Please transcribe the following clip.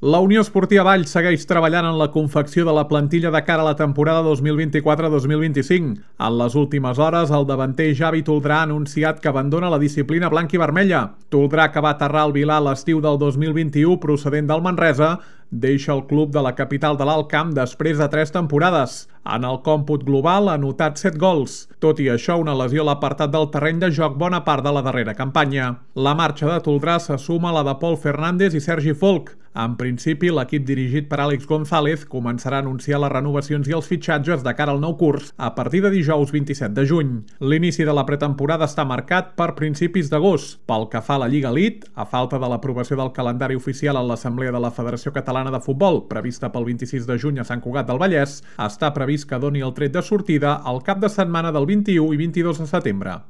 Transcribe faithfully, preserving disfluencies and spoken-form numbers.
La Unió Esportiva Valls segueix treballant en la confecció de la plantilla de cara a la temporada dos mil vint-i-quatre dos mil vint-i-cinc. En les últimes hores, el davanter Javi Toldrà ha anunciat que abandona la disciplina blanca i vermella. Toldrà, que va aterrar al Vilar l'estiu del dos mil vint-i-u procedent del Manresa, deixa el club de la capital de l'Alt Camp després de tres temporades. En el còmput global ha anotat set gols. Tot i això, una lesió l'ha apartat del terreny de joc bona part de la darrera campanya. La marxa de Toldrà se suma a la de Pol Fernández i Sergi Folch. En principi, l'equip dirigit per Àlex González començarà a anunciar les renovacions i els fitxatges de cara al nou curs a partir de dijous vint-i-set de juny. L'inici de la pretemporada està marcat per principis d'agost. Pel que fa a la Lliga Elite, a falta de l'aprovació del calendari oficial en l'Assemblea de la Federació Catalana de Futbol, prevista pel vint-i-sis de juny a Sant Cugat del Vallès, està previst que doni el tret de sortida al cap de setmana del vint-i-u i vint-i-dos de setembre.